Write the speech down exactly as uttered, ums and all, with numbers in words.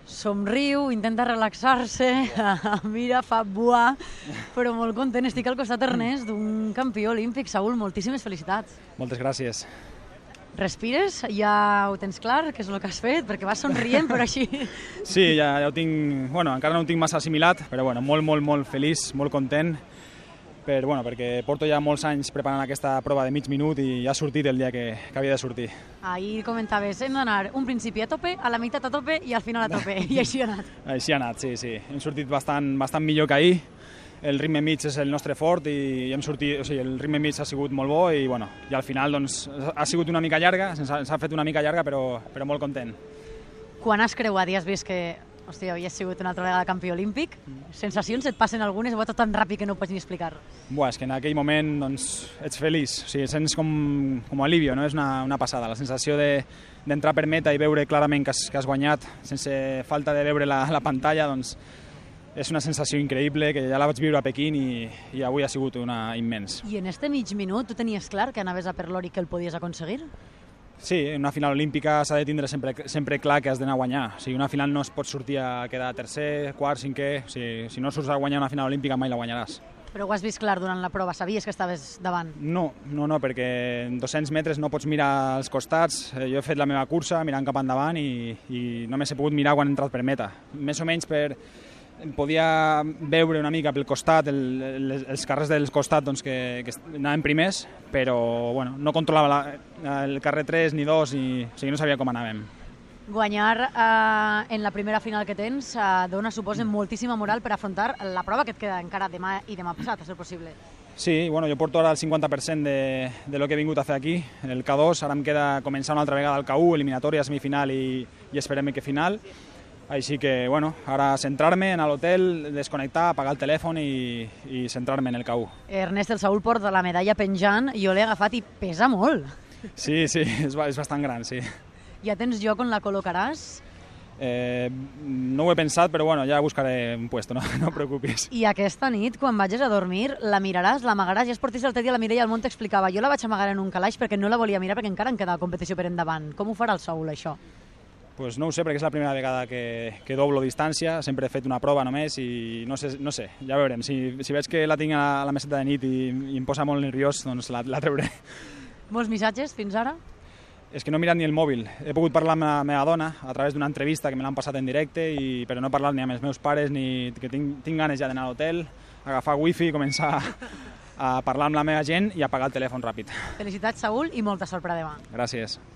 Somriu, intenta relaxar-se, mira, fa buà, però molt content. Estic al costat, Ernest, d'un campió olímpic. Saúl, moltíssimes felicitats. Moltes gràcies. Respires? Ja ho tens clar, què és el que has fet? Perquè vas somrient, però així... Sí, ja, ja ho tinc... Bueno, encara no ho tinc massa assimilat, però bueno, molt, molt, molt feliç, molt content, per, bueno, perquè porto ja molts anys preparant aquesta prova de mig minut i ja ha sortit el dia que, que havia de sortir. Ahir comentaves, hem d'anar un principi a tope, a la meitat a tope i al final a tope, i així ha anat. Així ha anat, sí, sí. Hem sortit bastant, bastant millor que ahir. El ritme mig és el nostre fort i hem sortit, o sigui, el ritme mig ha sigut molt bo i, bueno, i al final doncs, ha sigut una mica llarga, s'ha fet una mica llarga, però, però molt content. Quan has creuat i has vist que, hòstia, havies sigut una altra vegada campió olímpic, sensacions et passen algunes o va tot tan ràpid que no ho pots ni explicar? Buah, és que en aquell moment doncs, ets feliç, o sigui, sents com, com alivio, no? És una, una passada, la sensació d'entrar de, per meta i veure clarament que has, que has guanyat, sense falta de veure la, la pantalla, doncs és una sensació increïble que ja la vaig viure a Pequín i, i avui ha sigut una immens. I en este mig minut tu tenies clar que anaves a per l'or i que el podies aconseguir? Sí, en una final olímpica s'ha de tindre sempre, sempre clar que has d'anar a guanyar. O sigui, una final no es pot sortir a quedar tercer, quart, cinquè. O sigui, si no surts a guanyar una final olímpica mai la guanyaràs. Però ho has vist clar durant la prova? Sabies que estaves davant? No, no, no, perquè en dos-cents metres no pots mirar als costats. Jo he fet la meva cursa mirant cap endavant i, i només he pogut mirar quan he entrat per meta. Més o menys per... podia veure una mica pel costat, el, el, els carrers del costat doncs, que, que anaven primers, però bueno, no controlava la, el carrer tres ni dos, i, o sigui, no sabia com anàvem. Guanyar eh, en la primera final que tens eh, dona, suposa, moltíssima moral per afrontar la prova que et queda encara demà i demà passat, a ser possible. Sí, bueno, jo porto ara el cinquanta per cent de, de lo que he vingut a fer aquí, el K dos, ara em queda començar una altra vegada el K u, eliminatòria, semifinal i, i esperem que final. Així que, bueno, ara centrar-me, anar a l'hotel, desconnectar, apagar el telèfon i, i centrar-me en el K u. Ernest, el Saúl porta la medalla penjant, jo l'he agafat i pesa molt. Sí, sí, és, és bastant gran, sí. Ja tens lloc on la col·locaràs? Eh, no ho he pensat, però bueno, ja buscaré un puesto, no, no et preocupis. I aquesta nit, quan vagis a dormir, la miraràs, l'amagaràs? Ja es portis l'altre dia la Mireia al món t'explicava. Jo la vaig amagar en un calaix perquè no la volia mirar, perquè encara em quedava competició per endavant. Com ho farà el Saúl, això? Pues no ho sé, perquè és la primera vegada que, que doblo distància, sempre he fet una prova només i no sé, no sé, ja veurem. Si, si veig que la tinc a la meseta de nit i, i em posa molt nerviós, doncs la, la treuré. Molts missatges fins ara? És que no he mirat ni el mòbil. He pogut parlar amb la meva dona a través d'una entrevista que me l'han passat en directe, i, però no he parlat ni amb els meus pares, ni que tinc, tinc ganes ja d'anar a l'hotel, agafar wifi, començar a parlar amb la meva gent i apagar el telèfon ràpid. Felicitats, Saúl, i molta sort per a demà. Gràcies.